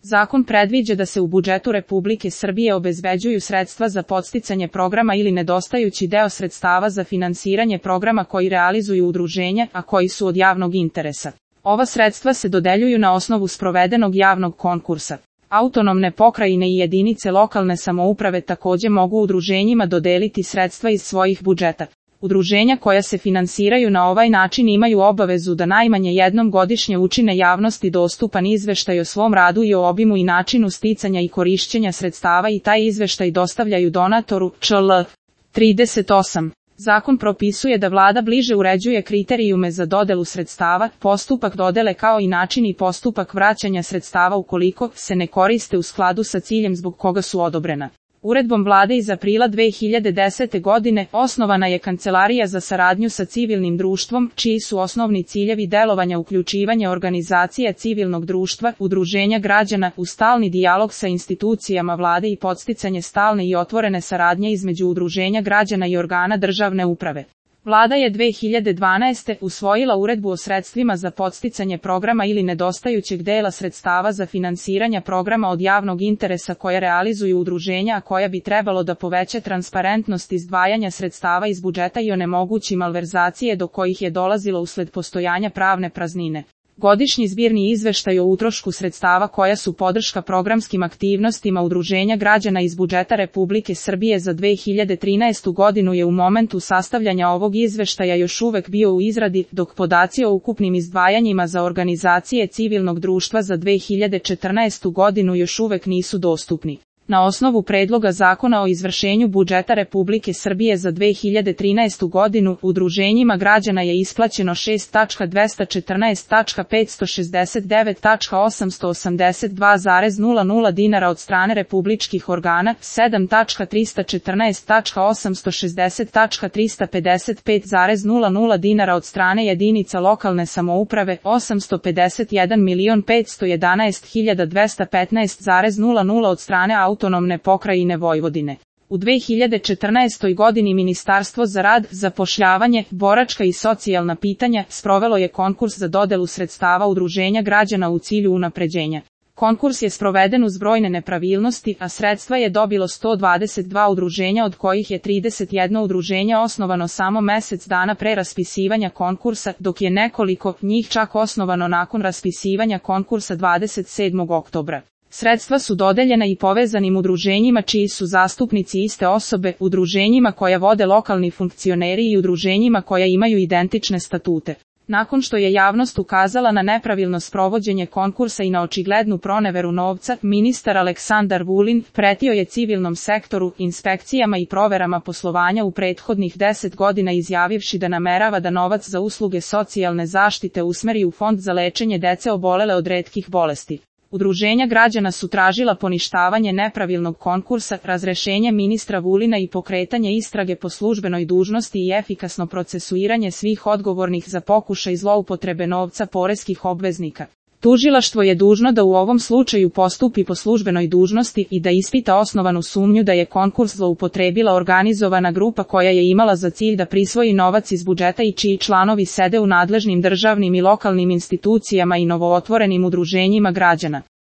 Zakon predviđa da se u budžetu Republike Srbije obezbeđuju sredstva za podsticanje programa ili nedostajući deo sredstava za finansiranje programa koji realizuju udruženja, a koji su od javnog interesa. Ova sredstva se dodeljuju na osnovu sprovedenog javnog konkursa. Autonomne pokrajine i jedinice lokalne samouprave takođe mogu udruženjima dodeliti sredstva iz svojih budžeta. Udruženja koja se finansiraju na ovaj način imaju obavezu da najmanje jednom godišnje učine javnosti dostupan izveštaj o svom radu i o obimu i načinu sticanja i korišćenja sredstava i taj izveštaj dostavljaju donatoru, čl. 38. Zakon propisuje da vlada bliže uređuje kriterijume za dodelu sredstava, postupak dodele kao i način i postupak vraćanja sredstava ukoliko se ne koriste u skladu sa ciljem zbog koga su odobrena. Uredbom vlade iz aprila 2010. godine osnovana je Kancelarija za saradnju sa civilnim društvom, čiji su osnovni ciljevi delovanja uključivanje organizacija civilnog društva, udruženja građana u stalni dijalog sa institucijama vlade i podsticanje stalne i otvorene saradnje između udruženja građana i organa državne uprave. Vlada je 2012. usvojila uredbu o sredstvima za podsticanje programa ili nedostajućeg dela sredstava za finansiranje programa od javnog interesa koje realizuju udruženja, a koja bi trebalo da poveća transparentnost izdvajanja sredstava iz budžeta i onemogući malverzacije do kojih je dolazilo usled postojanja pravne praznine. Godišnji zbirni izveštaj o utrošku sredstava koja su podrška programskim aktivnostima udruženja građana iz budžeta Republike Srbije za 2013. godinu je u momentu sastavljanja ovog izveštaja još uvek bio u izradi, dok podaci o ukupnim izdvajanjima za organizacije civilnog društva za 2014. godinu još uvek nisu dostupni. Na osnovu predloga zakona o izvršenju budžeta Republike Srbije za 2013. godinu, udruženjima građana je isplaćeno 6.214.569.882,00 dinara od strane republičkih organa, 7.314.860.355,00 dinara od strane jedinica lokalne samouprave, 851.511.215,00 od strane autonomne pokrajine Vojvodine. U 2014. godini Ministarstvo za rad, zapošljavanje, boračka i socijalna pitanja sprovelo je konkurs za dodelu sredstava udruženja građana u cilju unapređenja. Konkurs je sproveden uz brojne nepravilnosti, a sredstva je dobilo 122 udruženja, od kojih je 31 udruženje osnovano samo mesec dana pre raspisivanja konkursa, dok je nekoliko njih čak osnovano nakon raspisivanja konkursa 27. oktobra. Sredstva su dodeljena i povezanim udruženjima čiji su zastupnici iste osobe, udruženjima koja vode lokalni funkcioneri i udruženjima koja imaju identične statute. Nakon što je javnost ukazala na nepravilno sprovođenje konkursa i na očiglednu proneveru novca, ministar Aleksandar Vulin pretio je civilnom sektoru, inspekcijama i proverama poslovanja u prethodnih 10 godina izjavivši da namerava da novac za usluge socijalne zaštite usmeri u fond za lečenje dece obolele od retkih bolesti. Udruženja građana su tražila poništavanje nepravilnog konkursa, razrešenje ministra Vulina i pokretanje istrage po službenoj dužnosti i efikasno procesuiranje svih odgovornih za pokušaj zloupotrebe novca poreskih obveznika. Tužilaštvo je dužno da u ovom slučaju postupi po službenoj dužnosti i da ispita osnovanu sumnju da je konkurs zloupotrebila organizovana grupa koja je imala za cilj da prisvoji novac iz budžeta i čiji članovi sede u nadležnim državnim i lokalnim institucijama i novootvorenim udruženjima građana.